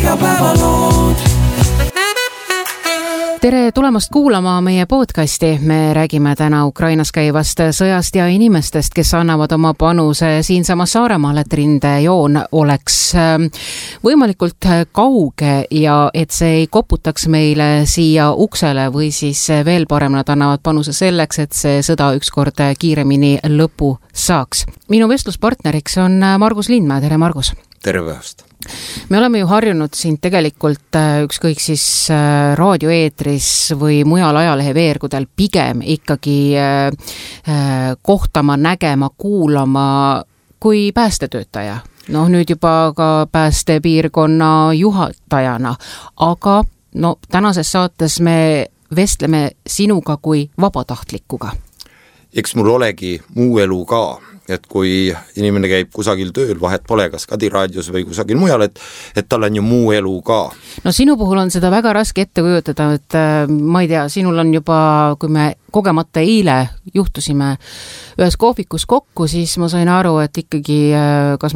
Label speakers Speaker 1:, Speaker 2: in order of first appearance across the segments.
Speaker 1: igapäevalood.
Speaker 2: Tere tulemast kuulama meie podcasti. Me räägime täna Ukrainas käivast sõjast ja inimestest, kes annavad oma panuse siinsamas Saaremaal, et rindejoon oleks võimalikult kauge ja et see ei koputaks meile siia uksele või siis veel parem nad annavad panuse selleks, et see sõda ükskord kiiremini lõpu saaks. Minu vestluspartneriks on Margus Lindmäe. Tere, Margus!
Speaker 3: Tere päevast!
Speaker 2: Me oleme ju harjunud siin tegelikult ükskõik siis raadioeetris või mujal ajalehe veergudel pigem ikkagi kohtama, nägema, kuulama kui päästetöötaja. No nüüd juba ka päästepiirkonna juhatajana, aga tänases saates me vestleme sinuga kui vabatahtlikuga.
Speaker 3: Eks mul olegi muu elu ka. Et kui inimene käib kusagil tööl, vahet pole kas Kadiraadios või kusagil mujal, et tal on ju muu elu ka.
Speaker 2: No sinu puhul on seda väga raske ette kujutada, et ma ei tea, sinul on juba, kui me kogemata eile juhtusime ühes kohvikus kokku, siis ma sain aru, et ikkagi kas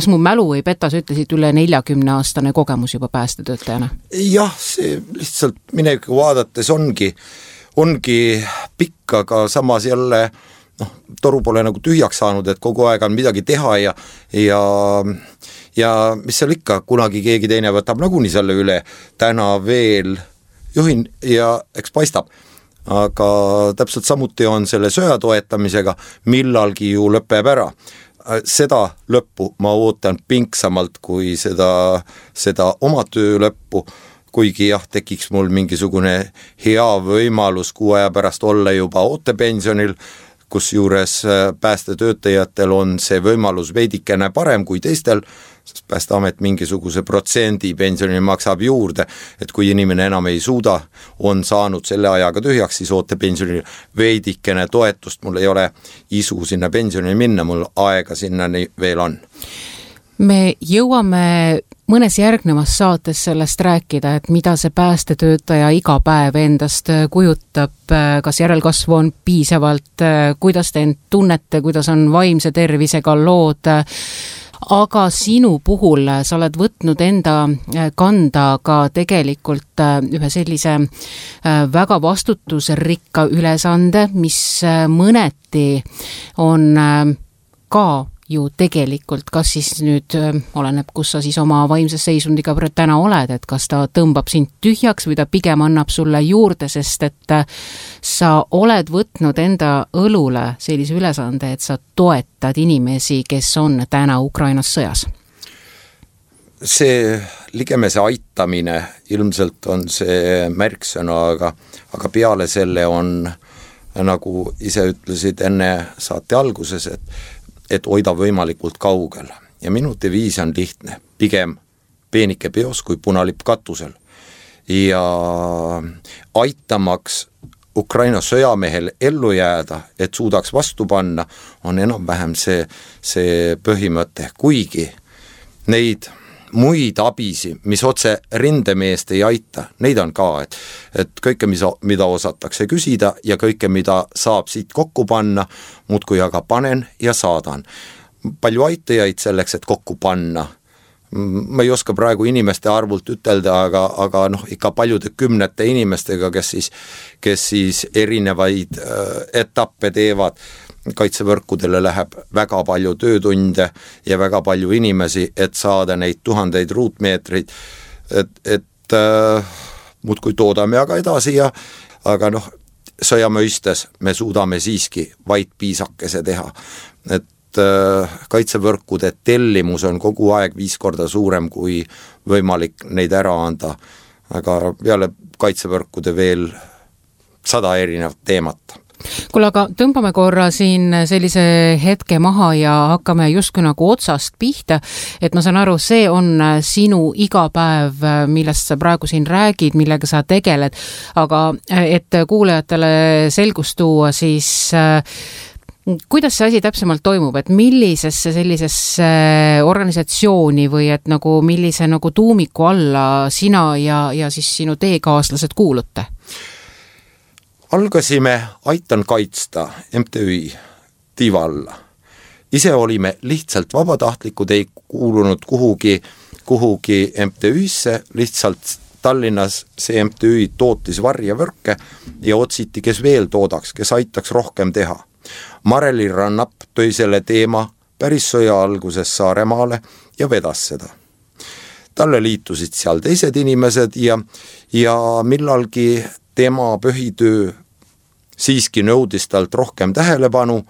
Speaker 2: mu mälu ei peta, sa ütlesid üle 40-aastane kogemus juba päästetöötajana?
Speaker 3: Jah, see lihtsalt mineviku vaadates ongi pikk, aga samas jälle toru pole nagu tühjaks saanud, et kogu aeg on midagi teha ja mis seal ikka, kunagi keegi teine võtab nagunii selle üle, täna veel juhin ja eks paistab. Aga täpselt samuti on selle sõja toetamisega, millalgi ju lõpeb ära. Seda lõppu ma ootan pinksamalt kui seda oma töö lõppu, kuigi jah, tekiks mul mingisugune hea võimalus 6 aja pärast olla juba ootepensionil, kus juures päästetöötajatel on see võimalus veidikene parem kui teistel, sest Päästeamet mingisuguse protsendi pensioni maksab juurde, et kui inimene enam ei suuda, on saanud selle ajaga tühjaks, siis ootepensioni veidikene toetust, mul ei ole isu sinna pensioni minna, mul aega sinnani veel on.
Speaker 2: Me jõuame mõnes järgnevas saates sellest rääkida, et mida see päästetöötaja iga päev endast kujutab, kas järelkasvu on piisavalt, kuidas te end tunnete, kuidas on vaimse tervisega lood, aga sinu puhul sa oled võtnud enda kanda ka tegelikult ühe sellise väga vastutusrikka ülesande, mis mõneti on ka ju tegelikult, kas siis nüüd oleneb, kus sa siis oma vaimses seisundiga täna oled, et kas ta tõmbab sind tühjaks või ta pigem annab sulle juurde, sest et sa oled võtnud enda õlule sellise ülesande, et sa toetad inimesi, kes on täna Ukrainas sõjas.
Speaker 3: See ligemese aitamine ilmselt on see märksõna, aga peale selle on, nagu ise ütlesid enne saate alguses, et hoida võimalikult kaugel. Ja minu deviis on lihtne, pigem peenike peos kui punalipp katusel. Ja aitamaks Ukraina sõjamehel ellu jääda, et suudaks vastu panna, on enam-vähem see põhimõte. Kuigi neid muid abisi, mis otse rindemeest ei aita, neid on ka, et kõike, mida osatakse küsida ja kõike, mida saab siit kokku panna, muudkui aga panen ja saadan. Palju aitajaid selleks, et kokku panna. Ma ei oska praegu inimeste arvult ütelda, aga ikka paljude kümnete inimestega, kes siis erinevaid etappe teevad. Kaitsevõrkudele läheb väga palju töötunde ja väga palju inimesi, et saada neid 1000 ruutmeetreid, et muudkui toodame aga edasi aga sõjamõistes me suudame siiski vaid piisakese teha, et kaitsevõrkude tellimus on kogu aeg 5 korda suurem kui võimalik neid ära anda, aga peale kaitsevõrkude veel 100 erinevat teemat.
Speaker 2: Kuule, aga tõmbame korra siin sellise hetke maha ja hakkame justkui nagu otsast pihta, et ma saan aru, see on sinu iga päev, millest sa praegu siin räägid, millega sa tegeled, aga et kuulajatele selgust tuua, siis kuidas see asi täpsemalt toimub, et millisesse sellisesse organisatsiooni või et nagu millise nagu tuumiku alla sina ja siis sinu teekaaslased kuulute?
Speaker 3: Algasime Aitan kaitsta MTÜ tiiva alla ise olime lihtsalt vabatahtlikud, ei kuulunud kuhugi MTÜ-sse, lihtsalt Tallinnas see MTÜ tootis varjevõrke ja otsiti, kes veel toodaks, kes aitaks rohkem teha. Mareli Rannap tõi selle teema päris sõja alguses Saaremaale ja vedas seda. Talle liitusid seal teised inimesed ja millalgi tema põhitöö siiski nõudis talt rohkem tähelepanu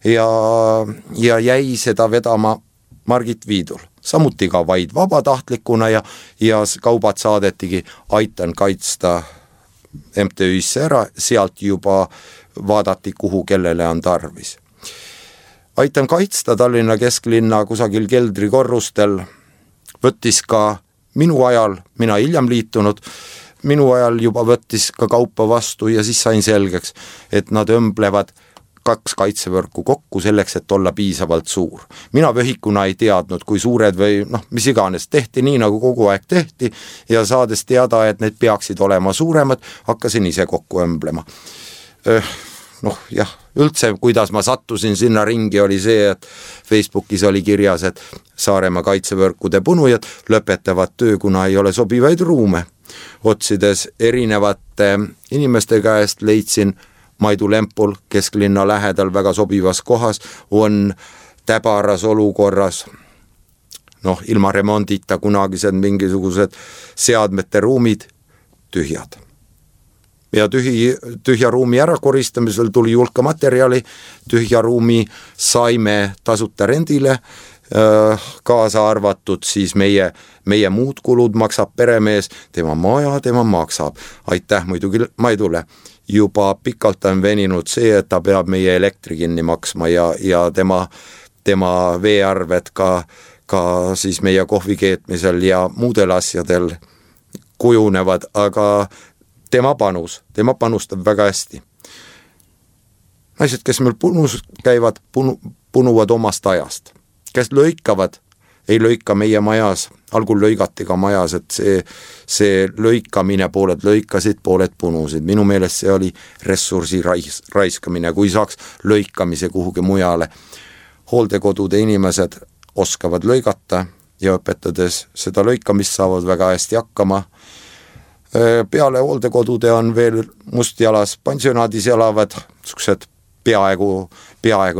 Speaker 3: ja jäi seda vedama Margit Viidul. Samuti ka vaid vabatahtlikuna ja kaubad saadetigi Aitan kaitsta MTÜ-sse ära, sealt juba vaadati, kuhu kellele on tarvis. Aitan kaitsta Tallinna kesklinna kusagil keldrikorrustel võttis ka minu ajal, mina hiljem liitunud, minu ajal juba võttis ka kaupa vastu ja siis sain selgeks, et nad õmblevad 2 kaitsevõrku kokku selleks, et olla piisavalt suur. Mina vöhikuna ei teadnud, kui suured või mis iganes tehti nii, nagu kogu aeg tehti ja saades teada, et need peaksid olema suuremad, hakkasin ise kokku õmblema. Üldse, kuidas ma sattusin sinna ringi, oli see, et Facebookis oli kirjas, et Saaremaa kaitsevõrkude punujad lõpetavad töö, kuna ei ole sobivaid ruume. Otsides erinevate inimeste käest leidsin Maidu Lempul kesklinna lähedal väga sobivas kohas, on täbaras olukorras, ilma remondita kunagised mingisugused seadmete ruumid tühjad. Ja tühja ruumi ärakoristamisel tuli julka materjali, tühja ruumi saime tasuta rendile, kaasa arvatud siis meie muud kulud maksab peremees, tema maja, tema maksab. Aitäh muidugi Maidule. Juba pikalt on veninud see, et ta peab meie elektri kinni maksma ja tema veearved ka siis meie kohvi keetmisel ja muudel asjadel kujunevad, aga tema panustab väga hästi. Naised, kes meil punus käivad, punuvad omast ajast. Kes lõikavad, ei lõika meie majas, algul lõigati ka majas, et see lõikamine, pooled lõikasid, pooled punusid. Minu meelest see oli ressursi raiskamine, kui saaks lõikamise kuhugi mujale. Hooldekodude inimesed oskavad lõigata ja õpetades seda lõikamist saavad väga hästi hakkama. Peale hooldekodude on veel Mustjalas pensionaadis elavad suksed peaaegu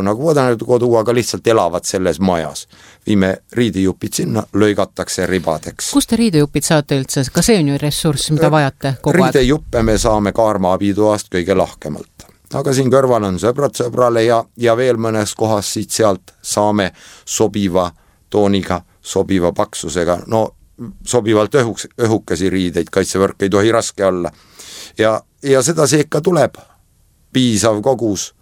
Speaker 3: nagu kodu, aga lihtsalt elavad selles majas. Viime riidejupid sinna, lõigatakse ribadeks.
Speaker 2: Kust te riidejupid saate üldse? Ka see on ju ressurss, mida vajate kogu aeg?
Speaker 3: Riidejuppe me saame Kaarma abitoast kõige lahkemalt. Aga siin kõrval on sõbrale ja veel mõnes kohas siit sealt saame sobiva tooniga, sobiva paksusega, sobivalt õhukesi riideid, kaitsevõrk ei tohi raske olla. Ja seda seeka tuleb piisav kogus.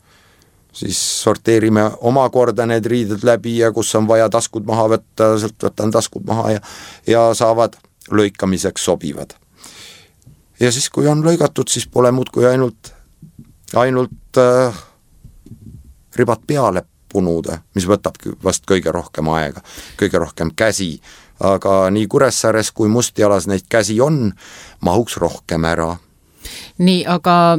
Speaker 3: Siis sorteerime omakorda need riided läbi ja kus on vaja taskud maha võtta, sealt võtan taskud maha ja saavad lõikamiseks sobivad. Ja siis, kui on lõigatud, siis pole muud kui ainult ribad peale punuda, mis võtabki vast kõige rohkem aega, kõige rohkem käsi. Aga nii Kuressaares kui Mustjalas neid käsi on, mahuks rohkem ära.
Speaker 2: Nii, aga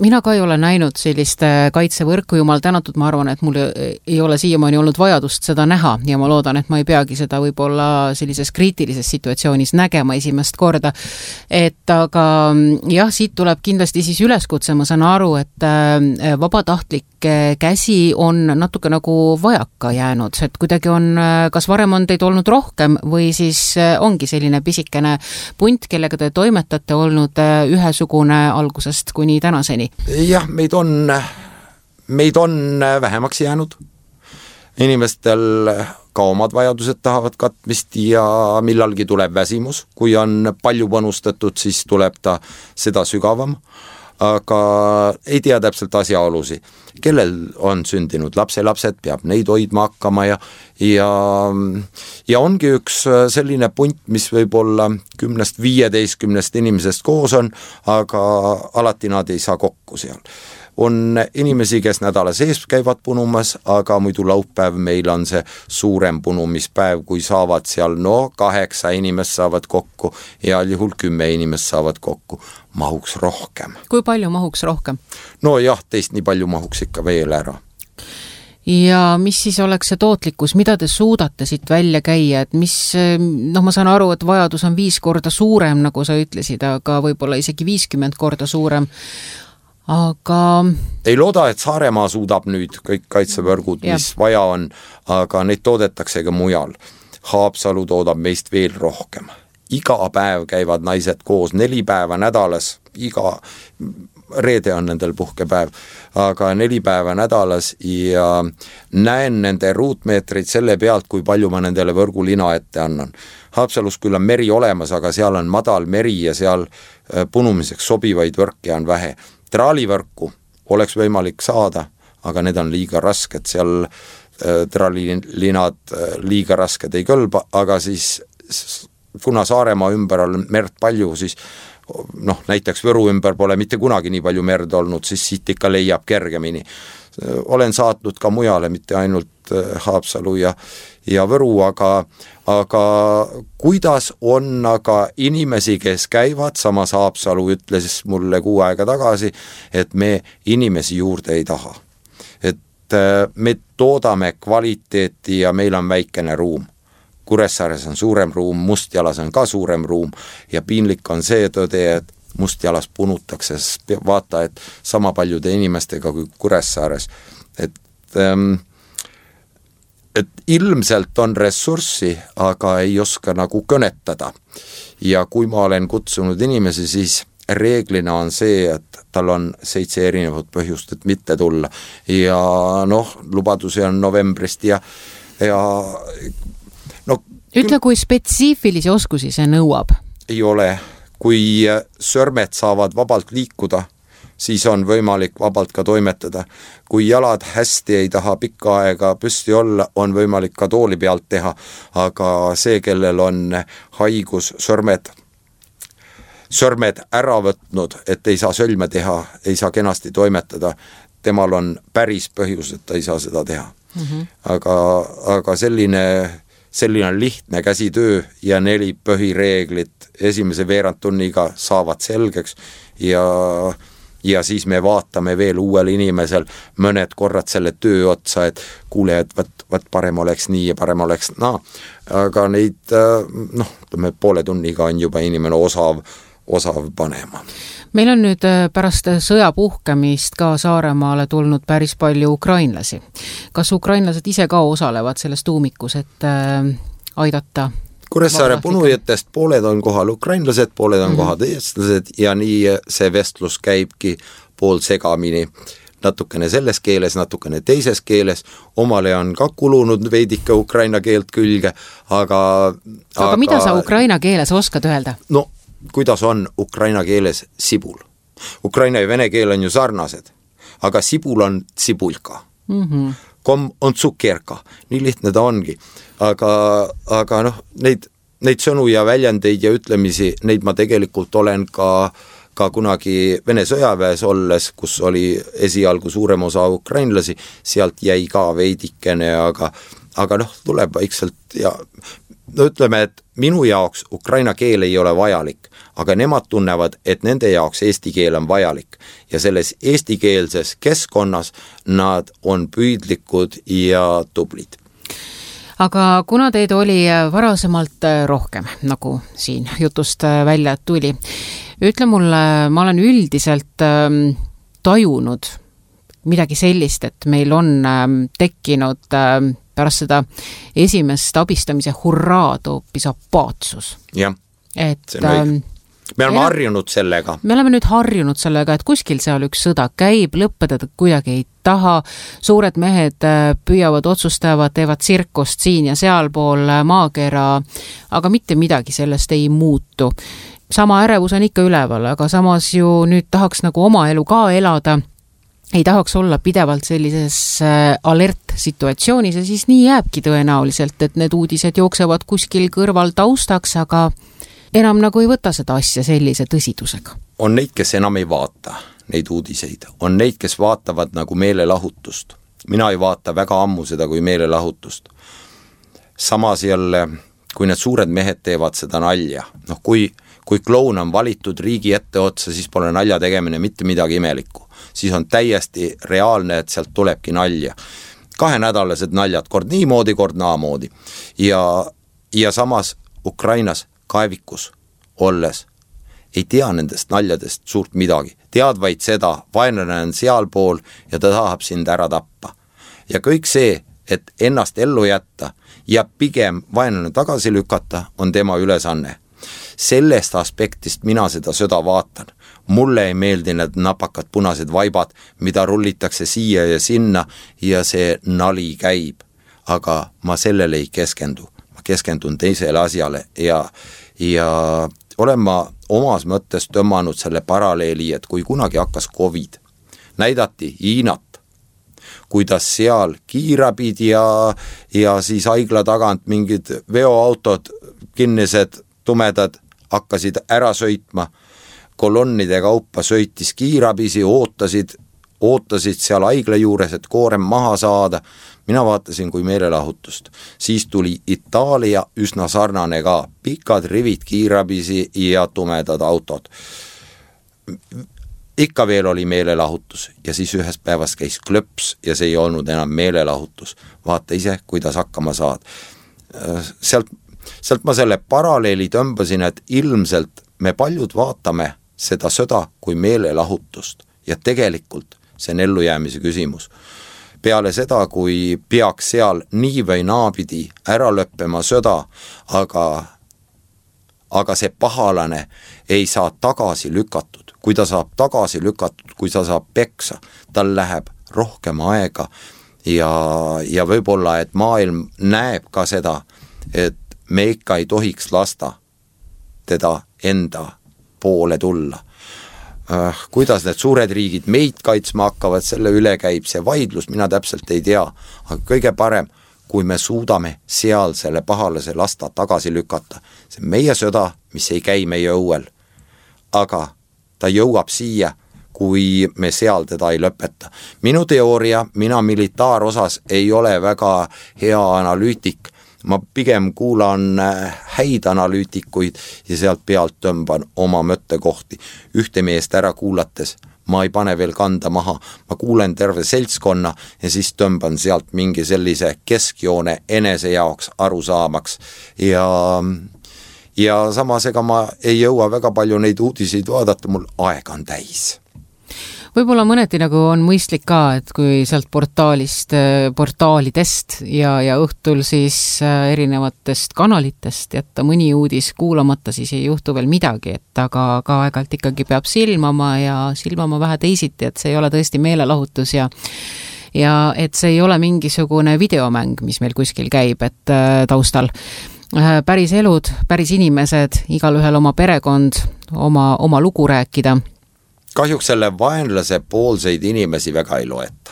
Speaker 2: mina ka ei ole näinud sellist kaitsevõrku, jumal tänatud, ma arvan, et mul ei ole siiamaani olnud vajadust seda näha ja ma loodan, et ma ei peagi seda võib-olla sellises kriitilises situatsioonis nägema esimest korda. Aga jah, siit tuleb kindlasti siis üleskutse, ma saan aru, et vabatahtlik käsi on natuke nagu vajaka jäänud, et kuidagi on, kas varem on teid olnud rohkem või siis ongi selline pisikene punt, kellega te toimetate olnud ühesugune algusest kuni tänaseni? Jah,
Speaker 3: meid on vähemaks jäänud. Inimestel ka omad vajadused tahavad katmist ja millalgi tuleb väsimus. Kui on palju panustatud, siis tuleb ta seda sügavam. Aga ei tea täpselt asjaolusi. Kellel on sündinud lapselapsed, peab neid hoidma hakkama ja ongi üks selline punt, mis võib olla 10-15 inimesest koos on, aga alati nad ei saa kokku seal. On inimesi, kes nädala sees käivad punumas, aga muidu laupäev meil on see suurem punumispäev, kui saavad seal 8 inimest saavad kokku ja juhul 10 inimest saavad kokku. Mahuks rohkem.
Speaker 2: Kui palju mahuks rohkem?
Speaker 3: Jah, teist nii palju mahuks ikka veel ära.
Speaker 2: ja mis siis oleks see tootlikkus, mida te suudate siit välja käia, et mis, ma saan aru, et vajadus on 5 korda suurem, nagu sa ütlesid, aga võib-olla isegi 50 korda suurem, aga...
Speaker 3: Ei looda, et Saaremaa suudab nüüd kõik kaitsevõrgud, mis vaja on, aga neid toodetakse ka mujal. Haapsalu toodab meist veel rohkem. Iga päev käivad naised koos 4 päeva nädalas, iga reede on nendel puhkepäev, aga 4 päeva nädalas ja näen nende ruutmeetreid selle pealt, kui palju ma nendele võrgulina ette annan. Haapsalus küll on meri olemas, aga seal on madal meri ja seal punumiseks sobivaid võrke on vähe. Traalivõrku oleks võimalik saada, aga need on liiga rasked, seal traalilinad liiga rasked ei kõlba, aga siis kuna Saaremaa ümber on merd palju, siis näiteks Võru ümber pole mitte kunagi nii palju merd olnud, siis siit ikka leiab kergemini. Olen saatnud ka mujale, mitte ainult Haapsalu ja Võru, aga kuidas on aga inimesi, kes käivad, samas Haapsalu ütles mulle 6 aega tagasi, et me inimesi juurde ei taha. Et me toodame kvaliteeti ja meil on väikene ruum. Kuressaares on suurem ruum, Mustjalas on ka suurem ruum ja piinlik on see tõde, et Mustjalas punutakse, vaata, et sama paljude inimestega kui Kuressaares. Et ilmselt on ressurssi, aga ei oska nagu kõnetada. Ja kui ma olen kutsunud inimesi, siis reeglina on see, et tal on 7 erinevat põhjust, et mitte tulla. Ja lubadusi on novembrist ja
Speaker 2: ütle, kui spetsiifilisi oskusi see nõuab?
Speaker 3: Ei ole. Kui sõrmed saavad vabalt liikuda, siis on võimalik vabalt ka toimetada. Kui jalad hästi ei taha pikka aega püsti olla, on võimalik ka tooli pealt teha, aga see, kellel on haigus sõrmed ära võtnud, et ei saa sõlme teha, ei saa kenasti toimetada, temal on päris põhjus, et ta ei saa seda teha. Aga selline lihtne käsitöö ja 4 põhireeglit esimese veerandtunniga saavad selgeks ja siis me vaatame veel uuel inimesel mõned korrad selle töö otsa, et kuule, et võt parem oleks nii ja parem oleks aga neid poole tunniga on juba inimene osav panema.
Speaker 2: Meil on nüüd pärast sõja puhkemist ka Saaremaale tulnud päris palju ukrainlasi. Kas ukrainlased ise ka osalevad selles tuumikus, et aidata?
Speaker 3: Kuressaare punujatest pooled on kohal ukrainlased, pooled on kohal eestlased ja nii see vestlus käibki pool segamini. Natukene selles keeles, natukene teises keeles. Omale on ka kulunud veidike ukraina keelt külge, aga
Speaker 2: mida sa ukraina keeles oskad öelda?
Speaker 3: Kuidas on ukraina keeles sibul. Ukraina ja vene keel on ju sarnased, aga sibul on sibulka. Kom on tsukkerka, nii lihtne ta ongi. Aga neid sõnu ja väljendeid ja ütlemisi, neid ma tegelikult olen ka kunagi Vene sõjaväes olles, kus oli esialgu suurem osa ukrainlasi, sealt jäi ka veidikene, aga tuleb vaikselt ja ütleme, et minu jaoks ukraina keel ei ole vajalik, aga nemad tunnevad, et nende jaoks eesti keel on vajalik ja selles eestikeelses keskkonnas nad on püüdlikud ja tublid.
Speaker 2: Aga kuna teid oli varasemalt rohkem, nagu siin jutust välja tuli, ütle mulle, ma olen üldiselt tajunud midagi sellist, et meil on tekkinud pärast seda esimest abistamise hurraad hoopis apaatsus.
Speaker 3: Jah, see on õige. Me oleme harjunud sellega.
Speaker 2: Me oleme nüüd harjunud sellega, et kuskil seal üks sõda käib, lõppeda kuidagi ei taha, suured mehed püüavad, otsustavad, teevad tsirkust siin ja sealpool maakera, aga mitte midagi sellest ei muutu. Sama ärevus on ikka üleval, aga samas ju nüüd tahaks nagu oma elu ka elada, ei tahaks olla pidevalt sellises alert-situatsioonis ja siis nii jääbki tõenäoliselt, et need uudised jooksevad kuskil kõrval taustaks, aga enam nagu ei võta seda asja sellise tõsidusega.
Speaker 3: On neid, kes enam ei vaata neid uudiseid. On neid, kes vaatavad nagu meelelahutust. Mina ei vaata väga ammu seda kui meelelahutust. Samas jälle, kui need suured mehed teevad seda nalja, kui kloun on valitud riigi ette otsa, siis pole nalja tegemine mitte midagi imelikku. Siis on täiesti reaalne, et sealt tulebki nalja. 2-nädalased naljad, kord niimoodi, kord naamoodi. Ja samas Ukrainas kaevikus olles ei tea nendest naljadest suurt midagi. Tead vaid seda, vaenlane on sealpool ja ta tahab sind ära tappa. Ja kõik see, et ennast ellu jätta ja pigem vaenlane tagasi lükata, on tema ülesanne. Sellest aspektist mina seda sõda vaatan. Mulle ei meeldi need napakad punased vaibad, mida rullitakse siia ja sinna ja see nali käib. Aga ma sellele ei keskendu. Ma keskendun teisele asjale ja olen ma omas mõttes tõmmanud selle paralleeli, et kui kunagi hakkas COVID, näidati Hiinat, kuidas seal kiirabid ja siis haigla tagant mingid veoautod, kinnised, tumedad hakkasid ära sõitma, kolonnide kaupa sõitis kiirabisi, ootasid seal haigla juures, et koorem maha saada. Mina vaatasin kui meelelahutust. Siis tuli Itaalia üsna sarnane ka, pikad rivid kiirabisi ja tumedad autod. Ikka veel oli meelelahutus ja siis ühes päevas käis klõps ja see ei olnud enam meelelahutus. Vaata ise, kuidas hakkama saad. Sealt ma selle paralleeli tõmbasin, et ilmselt me paljud vaatame seda sõda kui meelelahutust ja tegelikult see on ellujäämise küsimus. Peale seda, kui peaks seal nii või naapidi ära lõppema sõda, aga see pahalane ei saa tagasi lükatud. Kui ta saab tagasi lükatud, kui ta saab peksa, tal läheb rohkem aega ja võib-olla, et maailm näeb ka seda, et me ikka ei tohiks lasta teda enda poole tulla. Kuidas need suured riigid meid kaitsma hakkavad, selle üle käib see vaidlus, mina täpselt ei tea, aga kõige parem, kui me suudame seal selle pahalase lasta tagasi lükata. See on meie sõda, mis ei käi meie õuel, aga ta jõuab siia, kui me seal teda ei lõpeta. Minu teooria, mina militaarosas ei ole väga hea analüütik, ma pigem kuulan häid analüütikuid ja sealt pealt tõmban oma mõttekohti. Ühte meest ära kuulates, ma ei pane veel kanda maha, ma kuulen terve seltskonna ja siis tõmban sealt mingi sellise keskjoone enese jaoks arusaamaks. Ja samas ega ma ei jõua väga palju neid uudiseid vaadata, mul aega on täis.
Speaker 2: Võib-olla mõneti nagu on mõistlik ka, et kui sealt portaalidest ja õhtul siis erinevatest kanalitest jätta mõni uudis kuulamata, siis ei juhtu veel midagi, et aga aeg-ajalt ikkagi peab silmama vähe teisiti, et see ei ole tõesti meelelahutus ja et see ei ole mingisugune videomäng, mis meil kuskil käib, et taustal. Päris elud, päris inimesed, igal ühel oma perekond, oma lugu rääkida.
Speaker 3: Kahjuks selle vaenlase poolseid inimesi väga ei loeta.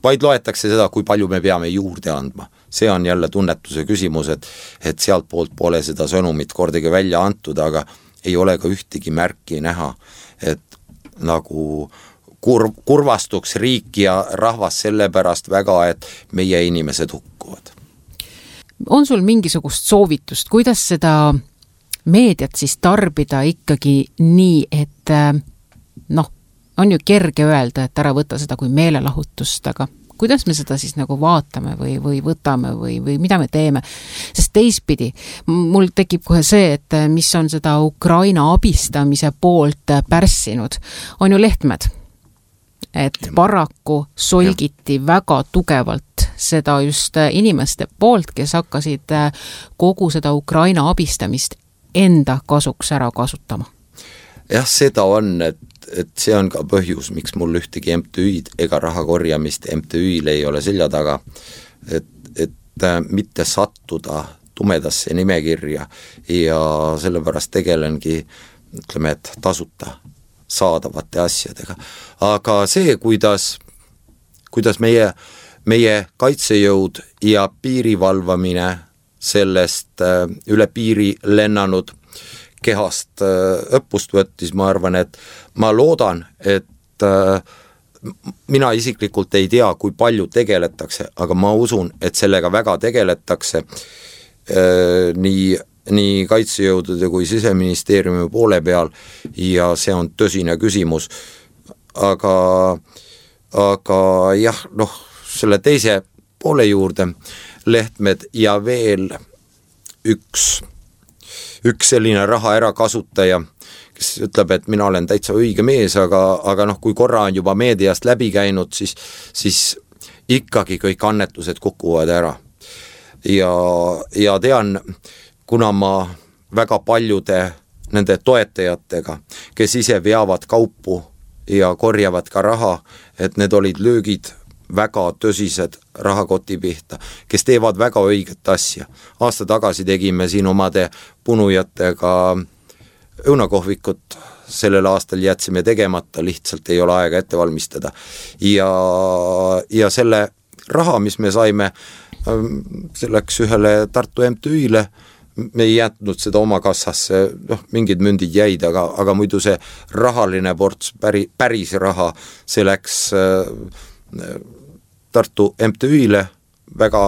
Speaker 3: Vaid loetakse seda, kui palju me peame juurde andma. See on jälle tunnetuse küsimus, et sealt poolt pole seda sõnumit kordagi välja antud, aga ei ole ka ühtegi märki näha, et nagu kurvastuks riik ja rahvas selle pärast väga, et meie inimesed hukkuvad.
Speaker 2: On sul mingisugust soovitust, kuidas seda meediat siis tarbida ikkagi nii, et on ju kerge öelda, et ära võtta seda kui meelelahutust, aga kuidas me seda siis nagu vaatame või võtame või mida me teeme? Sest teistpidi, mul tekib kohe see, et mis on seda Ukraina abistamise poolt pärssinud, on ju lehtmed. Et paraku solgiti väga tugevalt seda just inimeste poolt, kes hakkasid kogu seda Ukraina abistamist enda kasuks ära kasutama.
Speaker 3: Jah, seda on, et see on ka põhjus, miks mul ühtegi MTÜ-d ega raha korjamist MTÜ-il ei ole selja taga, et mitte sattuda tumedasse nimekirja ja sellepärast tegelengi, ütleme, et tasuta saadavate asjadega. Aga see, kuidas meie kaitsejõud ja piirivalvamine sellest üle piiri lennanud kehast õppust võttis, ma arvan, et ma loodan, et mina isiklikult ei tea, kui palju tegeletakse, aga ma usun, et sellega väga tegeletakse nii kaitsejõudude kui Siseministeeriumi poole peal ja see on tõsine küsimus. Aga jah, selle teise poole juurde Lehtmed ja veel üks selline raha ärakasutaja, kes ütleb, et mina olen täitsa õige mees, aga noh, kui korra on juba meediast läbi käinud, siis ikkagi kõik annetused kukuvad ära. Ja tean, kuna ma väga paljude nende toetajatega, kes ise veavad kaupu ja korjavad ka raha, et need olid löögid väga tõsised rahakoti pihta, kes teevad väga õiget asja. Aasta tagasi tegime siin omade punujatega õunakohvikut, sellel aastal jätsime tegemata, lihtsalt ei ole aega ette valmistada. Ja selle raha, mis me saime, see läks ühele Tartu MTÜ-le, me ei jätnud seda oma kassasse, mingid mündid jäid, aga muidu see rahaline ports, päris raha, see läks Tartu MTÜ-le, väga,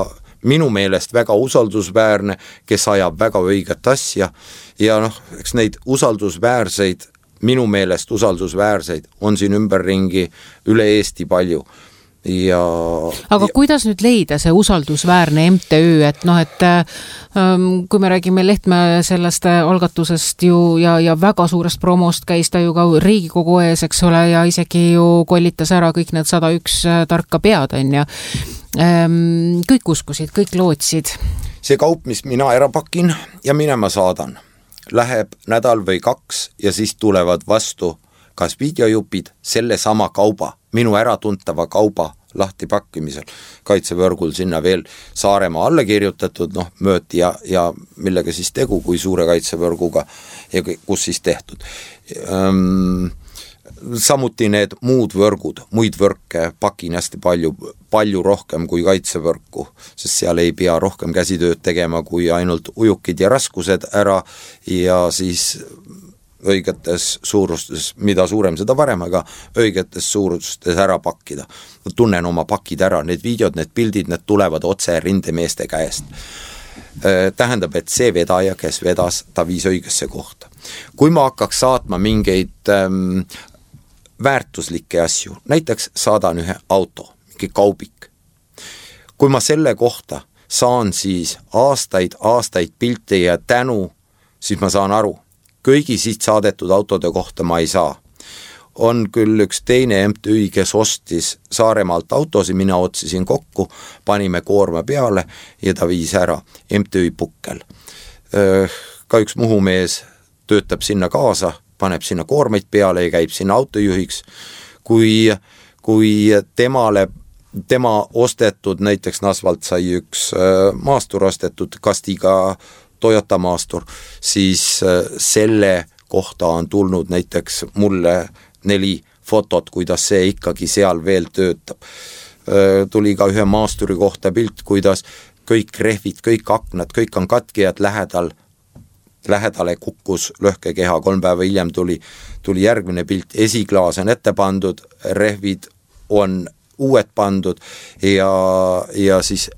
Speaker 3: minu meelest väga usaldusväärne, kes ajab väga õiget asja ja eks neid usaldusväärseid, minu meelest usaldusväärseid on siin ümberringi üle Eesti palju.
Speaker 2: Aga kuidas nüüd leida see usaldusväärne MTÜ, et kui me räägime Lehtme sellest algatusest ju ja väga suurest promost käis ta ju ka Riigikogu ees, eks ole, ja isegi ju kollitas ära kõik need 101 tarka pead, on ja kõik uskusid, kõik lootsid.
Speaker 3: See kaup, mis mina ära pakin ja minema saadan, läheb nädal või 2 ja siis tulevad vastu kas videojupid selle sama kauba, minu äratuntava kauba lahti pakkimisel, kaitsevõrgul sinna veel Saaremaa alla kirjutatud, mööti ja millega siis tegu, kui suure kaitsevõrguga ja kus siis tehtud. Samuti need muud võrgud, muid võrke pakin hästi palju rohkem kui kaitsevõrku, sest seal ei pea rohkem käsitööd tegema kui ainult ujukid ja raskused ära ja siis õigetes suurustes, mida suurem seda varem, aga õigetes suurustes ära pakkida. Tunnen oma pakid ära, need videod, need pildid, need tulevad otse rindemeeste käest. Tähendab, et see vedaja, kes vedas, ta viis õigesse kohta. Kui ma hakkaks saatma mingeid väärtuslikke asju, näiteks saadan ühe auto, mingi kaubik. Kui ma selle kohta saan siis aastaid pilte ja tänu, siis ma saan aru, kõigi siit saadetud autode kohta ma ei saa. On küll üks teine MTÜ, kes ostis Saaremaalt autosi, mina otsisin kokku, panime koorma peale ja ta viis ära MTÜ Pukkel. Ka üks muhumees töötab sinna kaasa, paneb sinna koormeid peale ja käib sinna autojuhiks. Kui tema ostetud, näiteks Nasvalt sai üks maastur ostetud Kastiga Toyota maastur, siis selle kohta on tulnud näiteks mulle 4 fotot, kuidas see ikkagi seal veel töötab. Tuli ka ühe maasturi kohta pilt, kuidas kõik rehvid, kõik aknad, kõik on katkijad lähedale kukkus lõhkekeha, 3 päeva hiljem tuli järgmine pilt, esiklaas on ette pandud, rehvid on uued pandud ja siis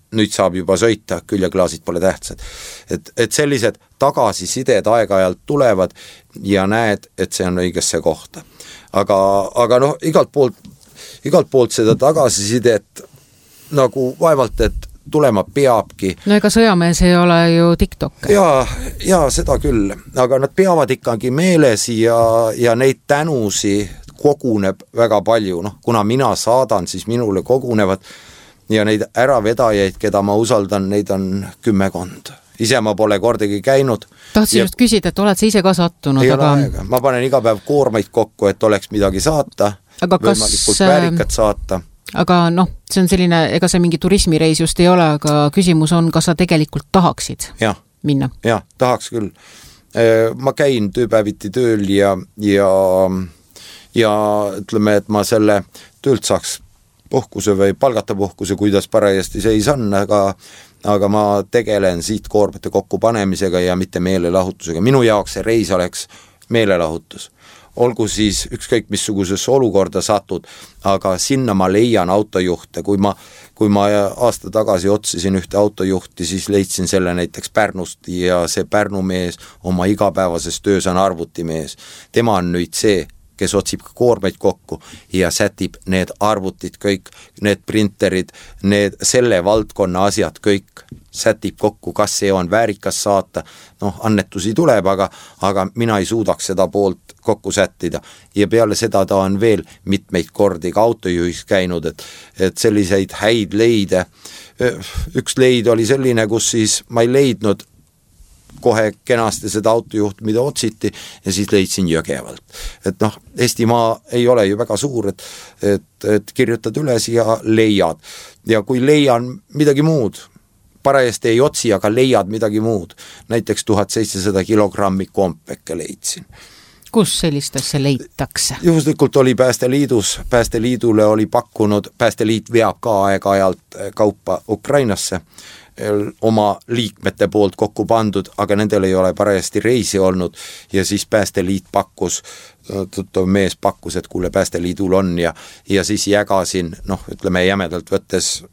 Speaker 3: nüüd saab juba sõita, küljeklaasid pole tähtsad. Et sellised tagasisided aeg-ajalt tulevad ja näed, et see on õigesse kohta. Aga igalt poolt seda tagasisidet nagu vaevalt, et tulema peabki.
Speaker 2: No ega sõjamees ei ole ju TikTok.
Speaker 3: Ja seda küll, aga nad peavad ikkagi meeles ja neid tänusi koguneb väga palju. Kuna mina saadan, siis minule kogunevad ja neid äravedajaid, keda ma usaldan, neid on 10. Ise ma pole kordagi käinud.
Speaker 2: Tahtsin just küsida, et oled sa ise ka sattunud?
Speaker 3: Ei ole aega. Ma panen iga päev koormaid kokku, et oleks midagi saata, võimalikult väärikat saata.
Speaker 2: Aga see on selline, ega see mingi turismireis just ei ole, aga küsimus on, kas sa tegelikult tahaksid minna?
Speaker 3: Ja, tahaks küll. Ma käin tööpäeviti tööl ja ütleme, et ma selle töölt saaks puhkuse või palgata puhkuse, kuidas parajasti seis on, aga ma tegelen siit koormete kokkupanemisega ja mitte meelelahutusega. Minu jaoks see reis oleks meelelahutus. Olgu siis ükskõik missugusesse olukorda satud, aga sinna ma leian autojuhte. Kui ma aasta tagasi otsisin ühte autojuhti, siis leidsin selle näiteks Pärnust ja see Pärnu mees oma igapäevases töös on arvutimees. Tema on nüüd see, kes otsib koormeid kokku ja sätib need arvutid kõik, need printerid, need selle valdkonna asjad kõik, sätib kokku, kas see on väärikas saata, annetusi tuleb, aga mina ei suudaks seda poolt kokku sättida ja peale seda ta on veel mitmeid kordi ka autojuhis käinud, et selliseid häid leide, üks leid oli selline, kus siis ma ei leidnud kohe kenasti seda autojuht, mida otsiti ja siis leidsin Jõgevalt. Et Eestimaa ei ole ju väga suur, et kirjutad üles ja leiad ja kui leian midagi muud, parajasti ei otsi, aga leiad midagi muud, näiteks 1700 kilogrammi kompekke leidsin.
Speaker 2: Kus sellist asja leitakse?
Speaker 3: Juhuslikult oli Päästeliidus, Päästeliidule oli pakkunud, Päästeliit veab ka aeg-ajalt kaupa Ukrainasse, oma liikmete poolt kokku pandud, aga nendel ei ole parajasti reisi olnud ja siis Päästeliit pakkus, mees pakkus, et kuule Päästeliidul on ja siis jagasin, ütleme jämedalt võttes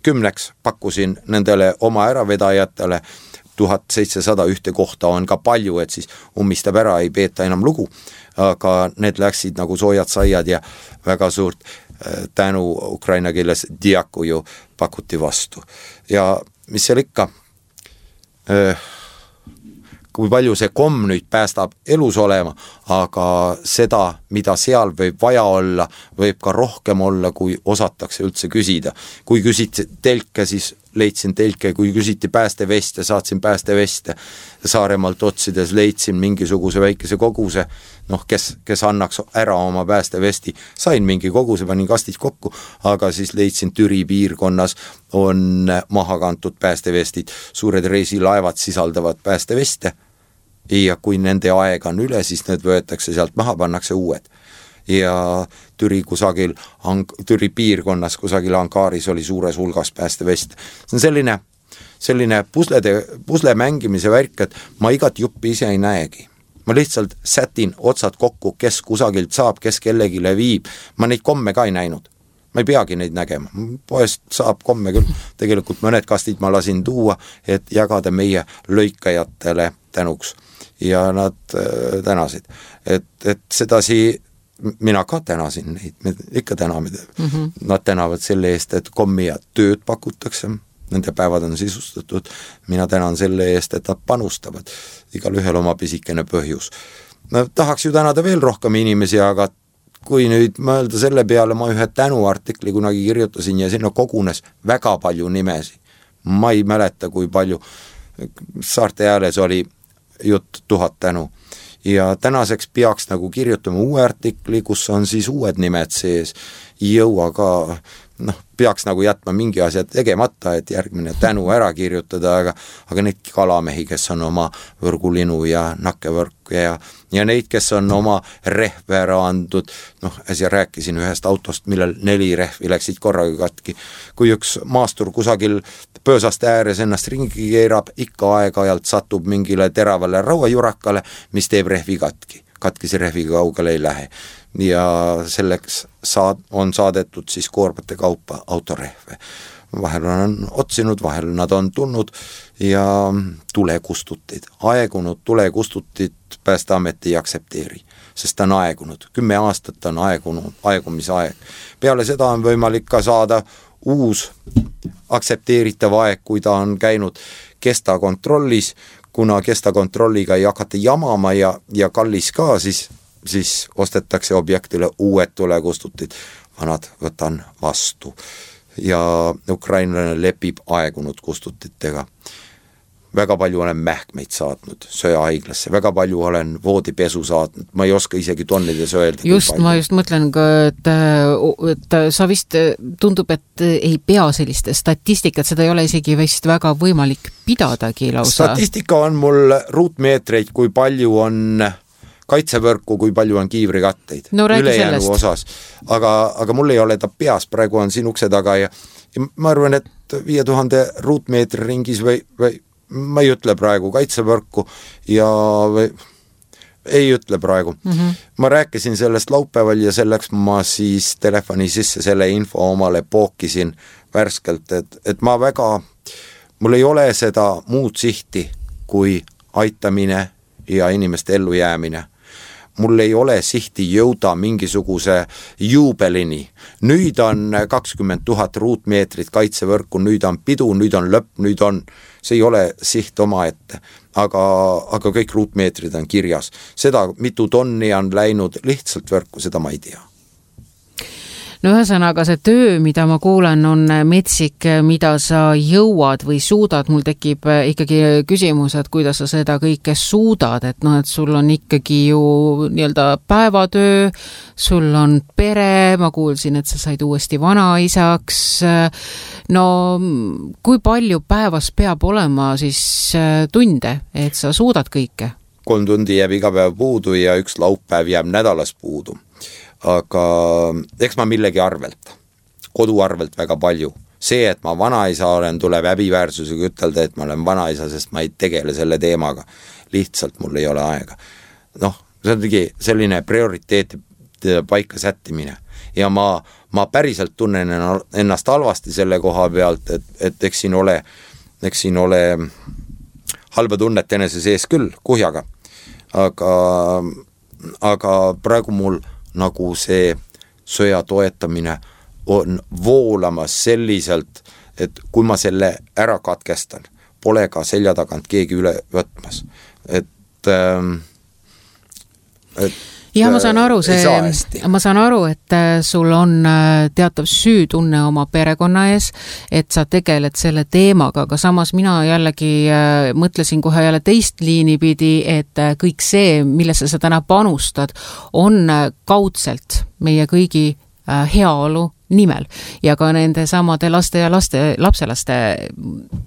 Speaker 3: 10 pakkusin nendele oma äravedajatele, 1700 ühte kohta on ka palju, et siis ummistab ära, ei peeta enam lugu, aga need läksid nagu soojad saiad ja väga suurt tänu ukraina keeles diakuju pakuti vastu. Ja mis seal ikka, kui palju see komm nüüd päästab elus olema, aga seda, mida seal võib vaja olla, võib ka rohkem olla, kui osatakse üldse küsida. Kui küsiti telke, siis leidsin telke, kui küsiti päästeveste, saatsin päästeveste. Saaremaalt otsides leidsin mingisuguse väikese koguse, kes annaks ära oma päästevesti. Sain mingi koguse, panin kastid kokku, aga siis leidsin Türi piirkonnas on maha kantud päästevestid. Suured reisilaevad sisaldavad päästeveste ja kui nende aeg on üle, siis need võetakse sealt maha, pannakse uued. Ja Türi kusagil, Türi piirkonnas kusagil Ankaaris oli suures hulgas päästevest. See on selline pusle mängimise värk, et ma igat juppi ise ei näegi. Ma lihtsalt sätin otsad kokku, kes kusagilt saab, kes kellegile viib. Ma neid komme ka ei näinud. Ma ei peagi neid nägema. Poest saab komme küll. Tegelikult mõned kastid ma lasin tuua, et jagada meie lõikajatele tänuks. Ja nad tänasid. Et sedasi mina ka tänasin neid, me ikka täname. Nad tänavad selle eest, et kommi ja tööd pakutakse, nende päevad on sisustatud, mina tänan selle eest, et nad panustavad, igal ühel oma pisikene põhjus. Tahaks ju tänada veel rohkem inimesi, aga kui nüüd mõelda selle peale, ma ühe tänuartikli kunagi kirjutasin ja sinna kogunes väga palju nimesi. Ma ei mäleta, kui palju. Saarte ääles oli jutt 1000 tänu. Ja tänaseks peaks nagu kirjutama uue artikli, kus on siis uued nimed sees. Jõua ka, peaks nagu jätma mingi asja tegemata, et järgmine tänu ära kirjutada, aga neid kalamehi, kes on oma võrgulinu ja nakkevõrk ja neid, kes on oma rehve ära andnud, äsja rääkisin ühest autost, millel 4 rehvi läksid korraga katki. Kui üks maastur kusagil pöösaste ääres ennast ringi keerab, ikka aeg-ajalt satub mingile teravale rauajurakale, mis teeb rehvi katki. Katkise rehviga kaugele ei lähe. Ja selleks on saadetud siis koormate kaupa autorehve. Vahel on otsinud, vahel nad on tulnud ja tulekustutid. Aegunud tulekustutid Päästeamet ei aksepteeri, sest ta on aegunud. 10 aastat on aegumise aeg. Peale seda on võimalik ka saada uus aksepteeritav aeg, kui ta on käinud kestakontrollis, kuna kestakontrolliga ei hakata jamama ja kallis ka, siis ostetakse objektile uued tulekustutid, vanad võtan vastu. Ja ukrainlane lepib aegunud kustutitega. Väga palju olen mähkmeid saatnud söehaiglasse, väga palju olen voodipesu saatnud, ma ei oska isegi tonnides öelda.
Speaker 2: Ma just mõtlen ka, et sa vist tundub, et ei pea sellist statistikat, seda ei ole isegi vist väga võimalik pidadagi lausa. Statistika
Speaker 3: on mul ruutmeetreid, kui palju on kaitsevõrku, kui palju on kiivrikatteid. Ülejäänu osas. Aga mul ei ole ta peas, praegu on siin ukse taga ja ma arvan, et 5000 ruutmeetri ringis või ma ei ütle praegu kaitsevõrku ja ei ütle praegu. Ma rääkisin sellest laupäeval ja selleks ma siis telefoni sisse selle info omale pookisin värskelt, et mul ei ole seda muud sihti kui aitamine ja inimeste ellujäämine. mul ei ole sihti jõuda mingisuguse juubelini. Nüüd on 20 000 ruutmeetrit kaitsevõrku, nüüd on pidu, nüüd on lõpp, nüüd on, see ei ole siht oma ette, aga kõik ruutmeetrid on kirjas. Seda, mitu tonni on läinud lihtsalt võrku, seda ma ei tea.
Speaker 2: No ühesõnaga see töö, mida ma kuulen, on metsik, mida sa jõuad või suudad. Mul tekib ikkagi küsimus, et kuidas sa seda kõike suudad, et et sul on ikkagi ju nii-öelda päevatöö, sul on pere, ma kuulsin, et sa said uuesti vanaisaks. No kui palju päevas peab olema siis tunde, et sa suudad kõike?
Speaker 3: 3 tundi jääb iga päev puudu ja 1 laupäev jääb nädalas puudu. Aga eks ma millegi arvelt, kodu arvelt väga palju. See, et ma vanaisa olen, tuleb häbiväärsusega ütelda, et ma olen vanaisa, sest ma ei tegele selle teemaga. Lihtsalt mul ei ole aega. See on selline prioriteet paika sättimine. Ja ma päriselt tunnen ennast halvasti selle koha pealt, et eks siin ole halba tunnet enese sees küll kuhjaga. Aga praegu mul nagu see sõja toetamine on voolamas selliselt, et kui ma selle ära katkestan, pole ka selja tagant keegi üle võtmas.
Speaker 2: Ja ma saan aru, et sul on teatav süütunne oma perekonna ees, et sa tegeled selle teemaga, aga samas mina jällegi mõtlesin kohe jälle teist liini pidi, et kõik see, millesse sa täna panustad, on kaudselt meie kõigi heaolu nimel ja ka nende samade laste ja lapselaste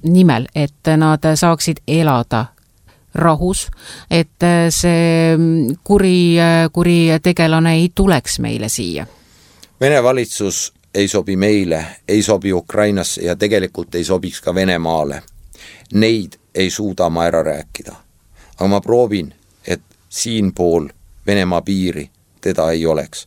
Speaker 2: nimel, et nad saaksid elada rahus, et see kuri tegelane ei tuleks meile siia.
Speaker 3: Vene valitsus ei sobi meile, ei sobi Ukrainasse ja tegelikult ei sobiks ka Venemaale. Neid ei suuda ma ära rääkida. Aga ma proovin, et siin pool Venemaa piiri teda ei oleks.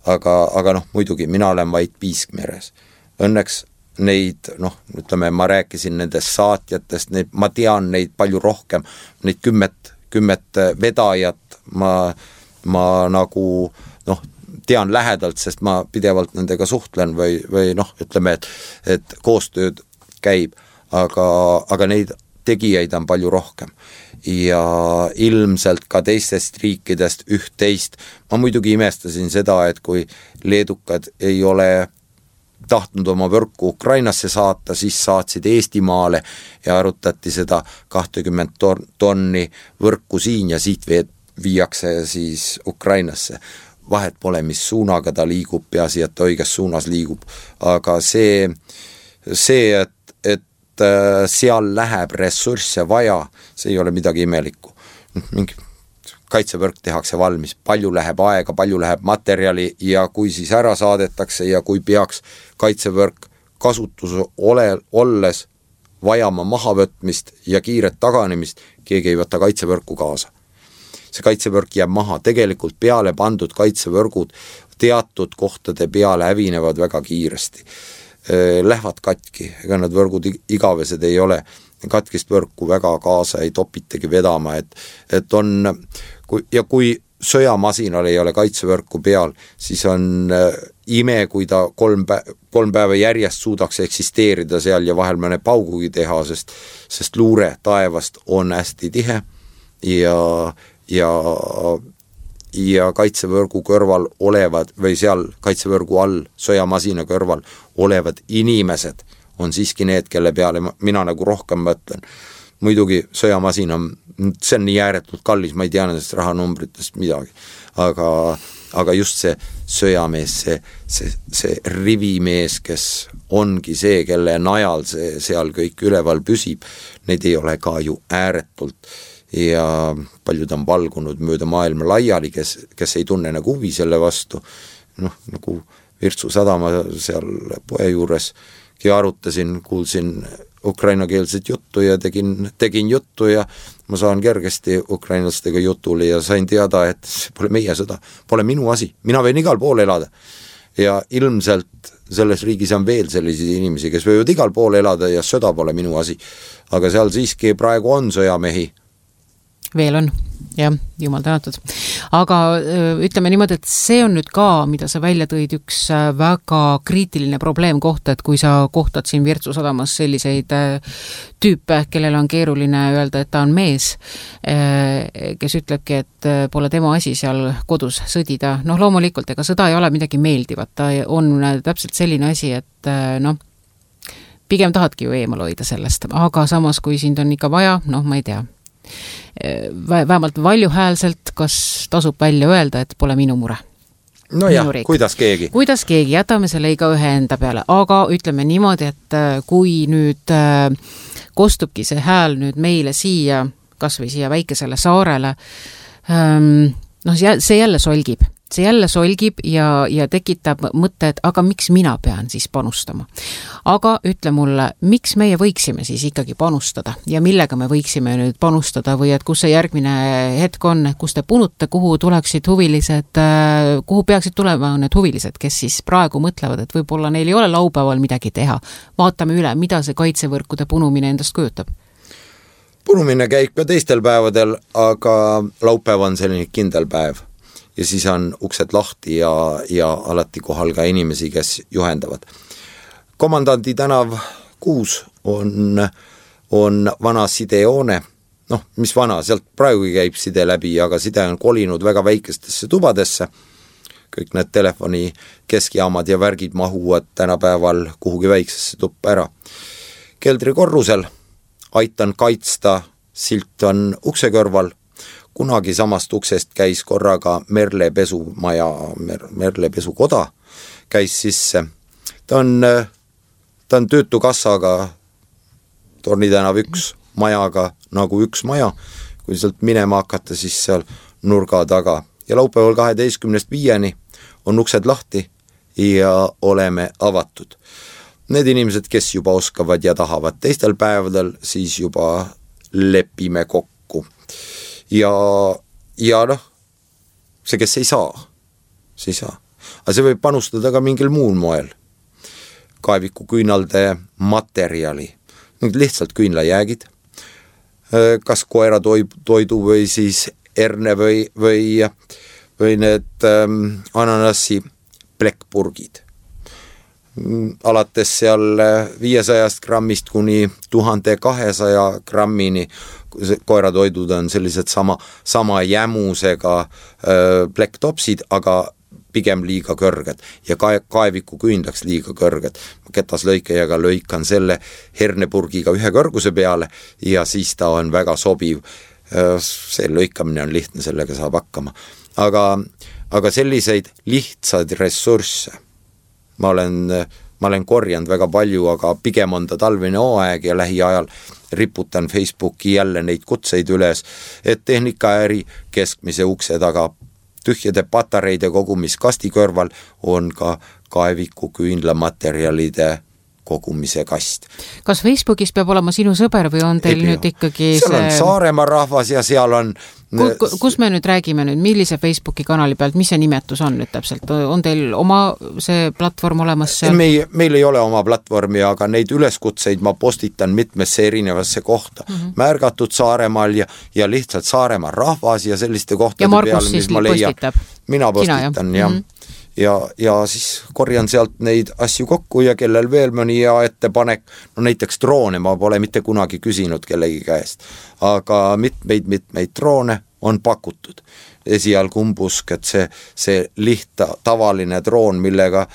Speaker 3: Aga muidugi, mina olen vaid piiskmeres. Õnneks neid, ütleme, ma rääkisin nendest saatjatest, ma tean neid palju rohkem, neid 10 vedajat ma nagu tean lähedalt, sest ma pidevalt nendega suhtlen või ütleme, et koostööd käib, aga neid tegijaid on palju rohkem ja ilmselt ka teistest riikidest üht-teist. Ma muidugi imestasin seda, et kui leedukad ei ole tahtnud oma võrku Ukrainasse saata, siis saatsid Eestimaale ja arutati seda 20 tonni võrku siin ja siit viiakse siis Ukrainasse. Vahet pole, mis suunaga ta liigub, peaasi, et õiges suunas liigub. Aga see, et seal läheb ressursse vaja, see ei ole midagi imelikku. Mingi kaitsevõrk tehakse valmis, palju läheb aega, palju läheb materjali ja kui siis ära saadetakse ja kui peaks kaitsevõrk kasutuse olles vajama mahavõtmist ja kiiret taganemist, keegi ei võta kaitsevõrku kaasa. See kaitsevõrk jääb maha, tegelikult peale pandud kaitsevõrgud teatud kohtade peale hävinevad väga kiiresti. Lähevad katki, ega nad võrgud igavesed ei ole, katkist võrku väga kaasa ei topitegi vedama, et on, kui sõjamasinal ei ole kaitsevõrku peal, siis on ime, kui ta 3 päeva järjest suudaks eksisteerida seal ja vahel mõne paugugi teha, sest luure taevast on hästi tihe ja kaitsevõrgu kõrval olevad või seal kaitsevõrgu all sõjamasina kõrval olevad inimesed on siiski need, kelle peale mina nagu rohkem mõtlen. Muidugi sõjamasin on, see on nii ääretult kallis, ma ei tea nendest rahanumbritest midagi, aga just see sõjamees, see rivimees, kes ongi see, kelle najal see seal kõik üleval püsib, neid ei ole ka ju ääretult ja paljud on valgunud mööda maailma laiali, kes ei tunne nagu huvi selle vastu, nagu Virtsu sadama seal poe juures arutasin, kuulsin ukrainakeelset juttu ja tegin juttu ja ma saan kergesti ukrainlastega jutule ja sain teada, et see pole meie sõda, pole minu asi, mina võin igal pool elada ja ilmselt selles riigis on veel selliseid inimesi, kes võivad igal pool elada ja sõda pole minu asi, aga seal siiski praegu on sõjamehi,
Speaker 2: Veel on, jah, jumal tänatud. Aga ütleme niimoodi, et see on nüüd ka, mida sa välja tõid, üks väga kriitiline probleemkoht, et kui sa kohtad siin Virtsu sadamas selliseid tüüpe, kellel on keeruline öelda, et ta on mees, kes ütlebki, et pole tema asi seal kodus sõdida. Noh, loomulikult, ega sõda ei ole midagi meeldivat, ta on täpselt selline asi, et pigem tahadki ju eemal hoida sellest, aga samas, kui sind on ikka vaja, noh, ma ei tea, vähemalt valjuhäälselt, kas tasub välja öelda, et pole minu mure.
Speaker 3: No jah, kuidas keegi,
Speaker 2: jätame selle iga ühe enda peale, aga ütleme niimoodi, et kui nüüd kostubki see hääl nüüd meile siia, kas või siia väikesele saarele, noh, see jälle solgib ja tekitab mõtte, et aga miks mina pean siis panustama. Aga ütle mulle, miks meie võiksime siis ikkagi panustada ja millega me võiksime nüüd panustada või et kus see järgmine hetk on, kus te punute, kuhu tuleksid huvilised, kuhu peaksid tulema need huvilised, kes siis praegu mõtlevad, et võib-olla neil ei ole laupäeval midagi teha. Vaatame üle, mida see kaitsevõrkude punumine endast kujutab.
Speaker 3: Punumine käib ka teistel päevadel, aga laupäev on selline kindel päev. Ja siis on uksed lahti ja alati kohal ka inimesi, kes juhendavad. Komandandi tänav 6 on vana sidejoone, noh, mis vana, sealt praegu käib side läbi, aga side on kolinud väga väikestesse tubadesse. Kõik need telefoni keskjaamad ja värgid mahuvad tänapäeval kuhugi väiksesse tuppa ära. Keldri korrusel aitan kaitsta, silt on ukse kõrval. Kunagi samast uksest käis korraga Merle pesukoda käis sisse. Ta on töötukassaga Torni tänav 1 majaga nagu üks maja, kui sealt minema hakata, siis seal nurga taga. Ja laupäeval 12.5 on uksed lahti ja oleme avatud. Need inimesed, kes juba oskavad ja tahavad teistel päevadel, siis juba lepime kokku. Ja noh, see, kes ei saa, see ei saa. Aga see võib panustada ka mingil muul moel. Kaeviku küünalde materjali, lihtsalt küünlajäägid, kas koera toidu või siis erne või need ananassi plekpurgid. Alates seal 500 grammist kuni 1200 grammini koeratoidud on sellised sama jämusega plekktopsid, aga pigem liiga kõrged ja kaeviku küünlaks liiga kõrged. Ketaslõikajaga lõikan selle hernepurgiga ühe kõrguse peale ja siis ta on väga sobiv. See lõikamine on lihtne, sellega saab hakkama. Aga selliseid lihtsaid ressursse ma olen korjanud väga palju, aga pigem on ta talvine hooaeg ja lähiajal riputan Facebooki jälle neid kutseid üles, et tehnikaäri keskmise ukse taga tühjade patareide kogumiskasti kõrval on ka kaeviku küünlamaterjalide kogumise kast.
Speaker 2: Kas Facebookis peab olema sinu sõber või on teil nüüd ikkagi
Speaker 3: seal on Saaremaa rahvas ja seal on
Speaker 2: kus me nüüd räägime nüüd, millise Facebooki kanali pealt, mis see nimetus on nüüd täpselt? On teil oma see platvorm olemas seal?
Speaker 3: Meil ei ole oma platvormi, aga neid üleskutseid ma postitan mitmesse erinevasse kohta. Märgatud Saaremaal ja lihtsalt Saaremaa rahvas ja selliste kohtade peale, mis ma leian. Mina postitan, jah. Ja siis korjan sealt neid asju kokku ja kellel veel mõni hea ettepanek, no näiteks droone ma pole mitte kunagi küsinud kellegi käest, aga mitmeid droone on pakutud. Esialgu umbusk, et see tavaline droon, millega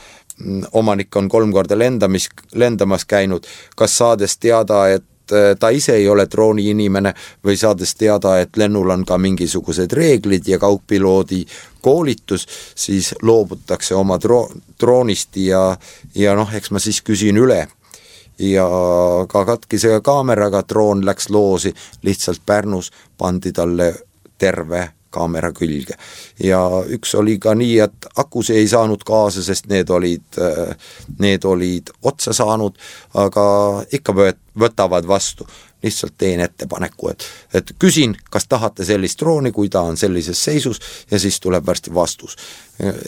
Speaker 3: omanik on 3 korda lendamas käinud, kas saades teada, et ta ise ei ole drooni inimene või saades teada, et lennul on ka mingisugused reeglid ja kaugpiloodi koolitus, siis loobutakse oma droonist ja noh, eks ma siis küsin üle. Ja ka katkise kaameraga droon läks loosi, lihtsalt Pärnus pandi talle terve kaamera külge. Ja üks oli ka nii, et akusi ei saanud kaasa, sest need olid otsa saanud, aga ikka võtavad vastu. Lihtsalt teen ettepaneku, et küsin, kas tahate sellist drooni, kui ta on sellises seisus ja siis tuleb varsti vastus.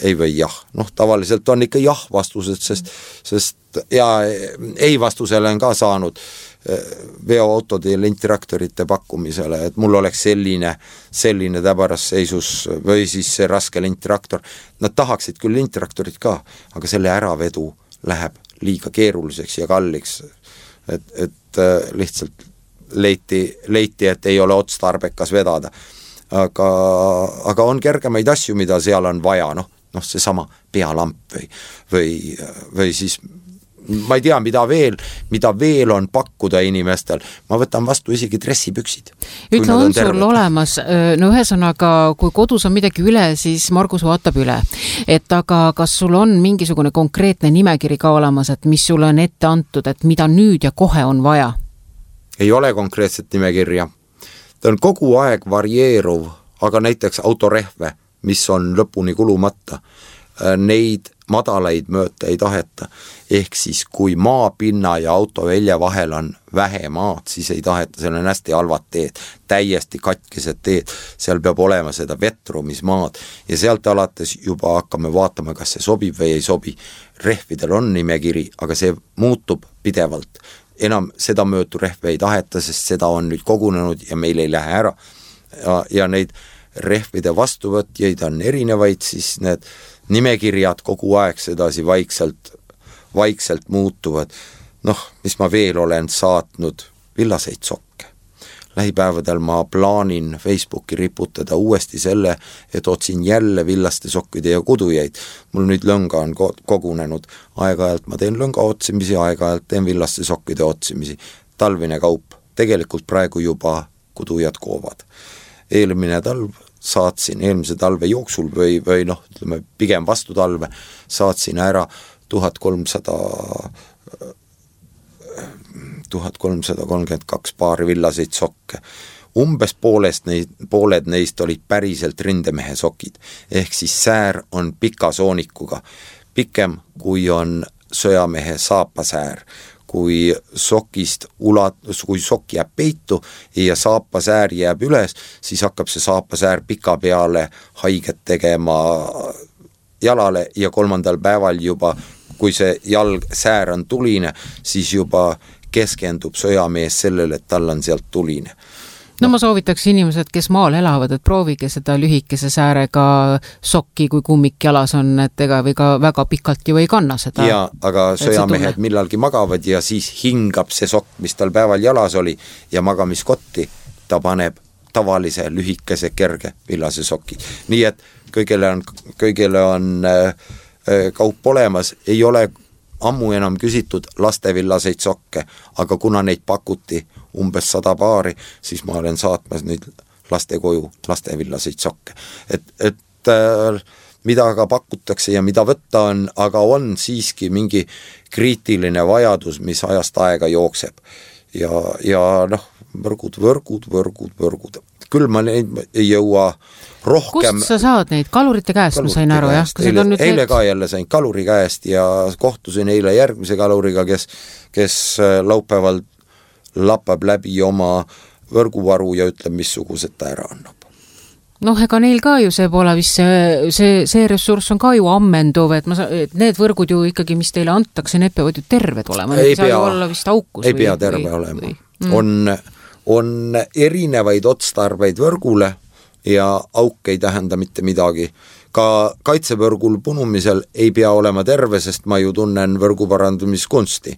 Speaker 3: Ei või jah. Noh, tavaliselt on ikka jah vastused, sest ja ei vastusele on ka saanud veoautode ja lintraktorite pakkumisele, et mul oleks selline täbaras seisus või siis see raske lintraktor. Nad tahaksid küll lintraktorit ka, aga selle äravedu läheb liiga keeruliseks ja kalliks, et lihtsalt leiti, et ei ole otstarbekas vedada. Aga on kergemaid asju, mida seal on vaja, noh seesama pealamp või siis ma ei tea, mida veel on pakkuda inimestel. Ma võtan vastu isegi dressipüksid.
Speaker 2: Ütle, on sul olemas, no ühesõnaga, kui kodus on midagi üle, siis Margus vaatab üle. Et aga kas sul on mingisugune konkreetne nimekiri ka olemas, et mis sulle on ette antud, et mida nüüd ja kohe on vaja?
Speaker 3: Ei ole konkreetset nimekirja. Ta on kogu aeg varieeruv, aga näiteks autorehve, mis on lõpuni kulumata, neid madalaid mööta ei taheta. Ehk siis, kui maapinna ja autovälja vahel on vähe maad, siis ei taheta, seal on hästi halvad teed, täiesti katkised teed, seal peab olema seda vetrumismaad ja sealt alates juba hakkame vaatama, kas see sobib või ei sobi. Rehvidel on nimekiri, aga see muutub pidevalt. Enam seda möötu rehve ei taheta, sest seda on nüüd kogunenud ja meil ei lähe ära. Ja neid rehvide vastuvõtjaid on erinevaid, siis need nimekirjad kogu aeg sedasi vaikselt muutuvad. Mis ma veel olen saatnud, villaseid sokke. Lähipäevadel ma plaanin Facebooki riputada uuesti selle, et otsin jälle villaste sokkide ja kudujaid. Mul nüüd lõnga on kogunenud. Aeg-ajalt ma teen lõnga otsimisi, aeg-ajalt teen villaste sokkide otsimisi. Talvine kaup. Tegelikult praegu juba kudujad koovad. Eelmise talve jooksul või ütleme, pigem vastu talve saatsin ära 1332 paari villaseid sokke. Umbes pooled neist olid päriselt rindemehe sokid, ehk siis säär on pika soonikuga, pikem kui on sõjamehe saapasäär. Kui sokk jääb peitu ja saapasäär jääb üles, siis hakkab see saapasäär pika peale haiget tegema jalale ja 3. päeval juba, kui see säär on tuline, siis juba keskendub sõjamees sellele, et tal on sealt tuline.
Speaker 2: No ma soovitaks inimesed, kes maal elavad, et proovige seda lühikese säärega sokki, kui kummik jalas on, et ega või ka väga pikalt ju ei kanna seda.
Speaker 3: Ja, aga sõjamehed millalgi magavad ja siis hingab see sokk, mis tal päeval jalas oli ja magamiskotti ta paneb tavalise lühikese kerge villase soki. Nii et kõigele on kaup olemas, ei ole ammu enam küsitud lastevillaseid sokke, aga kuna neid pakuti umbes 100 paari, siis ma olen saatmas nüüd laste koju lastevillaseid sokke. Et mida ka pakutakse ja mida võtta on, aga on siiski mingi kriitiline vajadus, mis ajast aega jookseb. Ja võrgud. Küll ma neid ei jõua rohkem.
Speaker 2: Kust sa saad neid? Kalurite käest, ma sain aru, jah?
Speaker 3: Eile ka jälle sain kaluri käest ja kohtusin eile järgmise kaluriga, kes laupäeval lappab läbi oma võrguvaru ja ütleb, missugused ta ära annab.
Speaker 2: Ega neil ka ju see pole vist see ressurss on ka ju ammenduv, et need võrgud ju ikkagi, mis teile antakse, need peavad ju terved olema.
Speaker 3: Ei pea terve olema. On erinevaid otstarbeid võrgule ja auk ei tähenda mitte midagi. Ka kaitsevõrgul punumisel ei pea olema terve, sest ma ju tunnen võrguparandumiskunsti.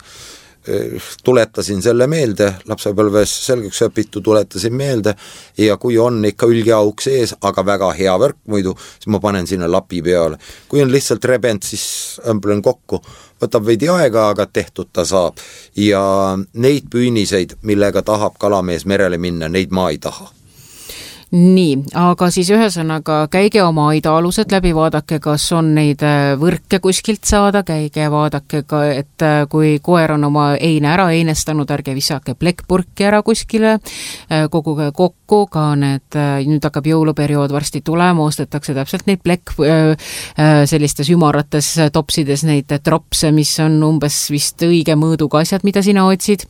Speaker 3: Tuletasin selle meelde, lapsepõlves selgeks õpitu tuletasin meelde ja kui on ikka ülgeauk sees, aga väga hea võrk muidu, siis ma panen sinna lapi peale. Kui on lihtsalt rebent, siis õmblen kokku. Võtab veidi aega, aga tehtud ta saab. Ja neid püüniseid, millega tahab kalamees merele minna, neid ma ei taha.
Speaker 2: Nii, aga siis ühesõnaga käige oma aida-alused läbi, vaadake, kas on neid võrke kuskilt saada, käige vaadake ka, et kui koer on oma eine ära einestanud, ärge visake plekkpurki ära kuskile, koguge kokku, ka need, nüüd hakkab jõuluperiood varsti tulema, ostetakse täpselt neid sellistes ümarates topsides neid tropse, mis on umbes vist õige mõõduga asjad, mida sina otsid.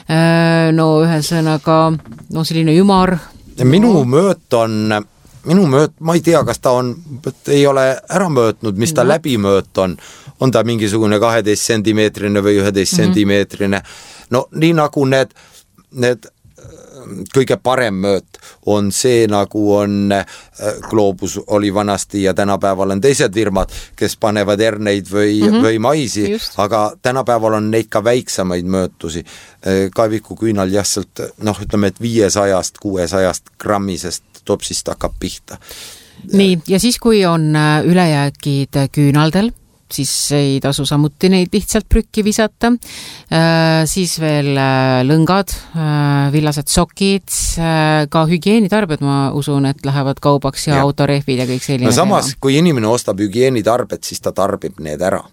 Speaker 2: Ühesõnaga, selline ümar. Minu
Speaker 3: mööt, ma ei tea, kas ta ei ole ära möötnud, mis ta läbi mööt on ta mingisugune 12 sentimeetrine või 11 sentimeetrine. no nii nagu need kõige parem mööt on see, nagu on Globus oli vanasti ja tänapäeval on teised firmad, kes panevad herneid või maisi, aga tänapäeval on neid ka väiksemaid möötusi. Kaeviku küünal jässalt, ütleme, et 500-600 grammisest topsist hakkab pihta.
Speaker 2: Nii, ja siis kui on ülejäägid küünaldel, siis ei tasu samuti neid lihtsalt prükki visata. Siis veel lõngad, villased sokid, ka hügieenitarbed, ma usun, et lähevad kaubaks ja autorehvid ja kõik selline.
Speaker 3: No samas, kui inimene ostab hügieenitarbed, siis ta tarbib need ära.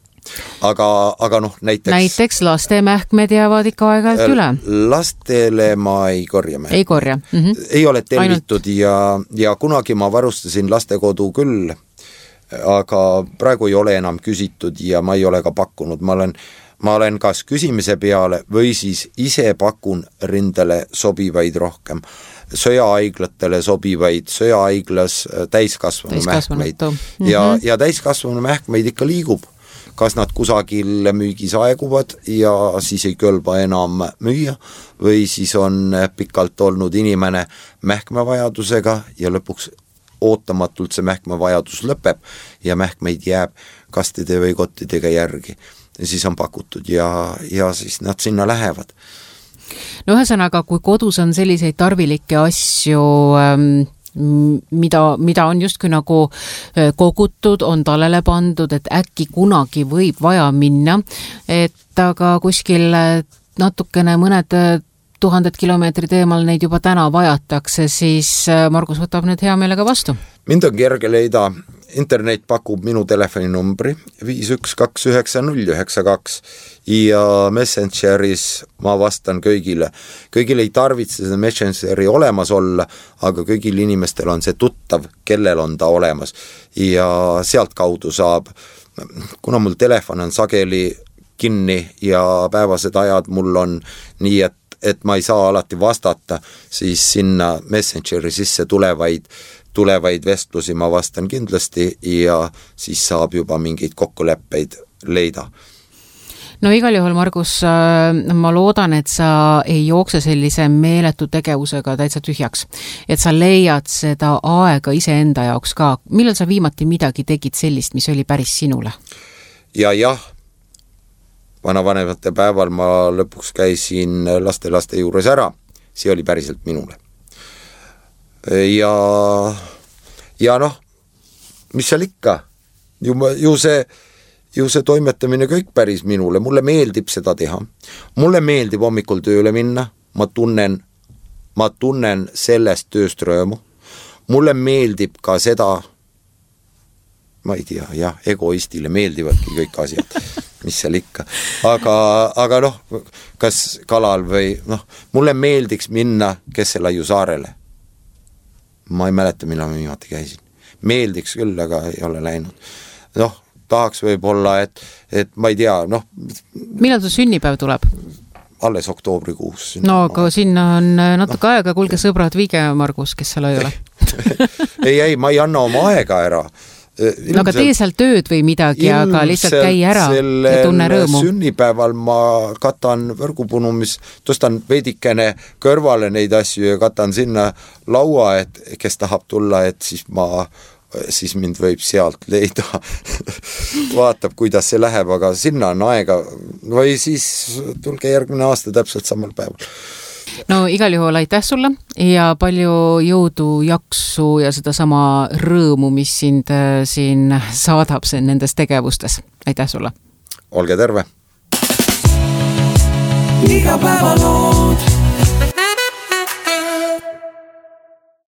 Speaker 3: Aga näiteks
Speaker 2: laste mähkmed jäävad ikka aeg-ajalt üle.
Speaker 3: Lastele ma ei korja mähkmed.
Speaker 2: Ei korja.
Speaker 3: Ei ole tellitud ja kunagi ma varustasin lastekodu küll, aga praegu ei ole enam küsitud ja ma ei ole ka pakkunud. Ma olen kas küsimise peale või siis ise pakun rindele sobivaid rohkem. Söjahaiglatele sobivaid, söjahaiglas täiskasvanu mähkmeid. Ja täiskasvanu mähkmeid ikka liigub. Kas nad kusagil müügis aeguvad ja siis ei kõlba enam müüa või siis on pikalt olnud inimene mähkmevajadusega ja lõpuks ootamatult see mähkmevajadus lõpeb ja mähkmeid jääb kastide või kottidega järgi. Ja siis on pakutud ja siis nad sinna lähevad.
Speaker 2: No ühesõnaga, kui kodus on selliseid tarvilikke asju, mida on justkui nagu kogutud, on talele pandud, et äkki kunagi võib vaja minna, et aga kuskil natukene mõned 1000 kilomeetrid eemal neid juba täna vajatakse, siis Margus võtab nüüd hea meelega vastu.
Speaker 3: Mind on kerge leida, internet pakub minu telefoninumbri 5129092 ja Messengeris ma vastan kõigile. Kõigil ei tarvitse seda Messengeri olemas olla, aga kõigil inimestel on see tuttav, kellel on ta olemas ja sealt kaudu saab, kuna mul telefon on sageli kinni ja päevased ajad mul on nii, et ma ei saa alati vastata, siis sinna Messengeri sisse tulevaid vestlusi ma vastan kindlasti ja siis saab juba mingeid kokkuleppeid leida.
Speaker 2: No igal juhul, Margus, ma loodan, et sa ei jookse sellise meeletu tegevusega täitsa tühjaks. Et sa leiad seda aega iseenda jaoks ka. Millal sa viimati midagi tegid sellist, mis oli päris sinule?
Speaker 3: Jah. Vanavanemate päeval ma lõpuks käisin laste juures ära, see oli päriselt minule. Ja mis seal ikka? Ju see toimetamine kõik päris minule, mulle meeldib seda teha. Mulle meeldib hommikul tööle minna, ma tunnen sellest tööst rõõmu. Mulle meeldib ka seda, ma ei tea, egoistile meeldivadki kõik asjad. Mis seal ikka. Aga kas kalal või mulle meeldiks minna Kesselaiu saarele. Ma ei mäleta, millal ma viimati käisin. Meeldiks küll, aga ei ole läinud. Tahaks võib-olla, et ma ei tea,
Speaker 2: Millal su sünnipäev tuleb?
Speaker 3: Alles oktoobrikuus.
Speaker 2: Aga sinna on natuke aega, kuulge sõbrad, viige Margus, kes seal ei ole.
Speaker 3: ei, ma ei anna oma aega ära.
Speaker 2: Aga tee seal tööd või midagi, aga lihtsalt käi ära ja tunne rõõmu.
Speaker 3: Sünnipäeval ma katan võrgupunumis, tõstan veidikene kõrvale neid asju ja katan sinna laua, et kes tahab tulla, et siis mind võib sealt leida. Vaatab, kuidas see läheb, aga sinna on aega või siis tulge järgmine aasta täpselt samal päeval.
Speaker 2: No igal juhul aitäh sulle ja palju jõudu, jaksu ja seda sama rõõmu, mis sind siin saadab nendes tegevustes. Aitäh sulle!
Speaker 3: Olge terve!
Speaker 1: Igapäevalood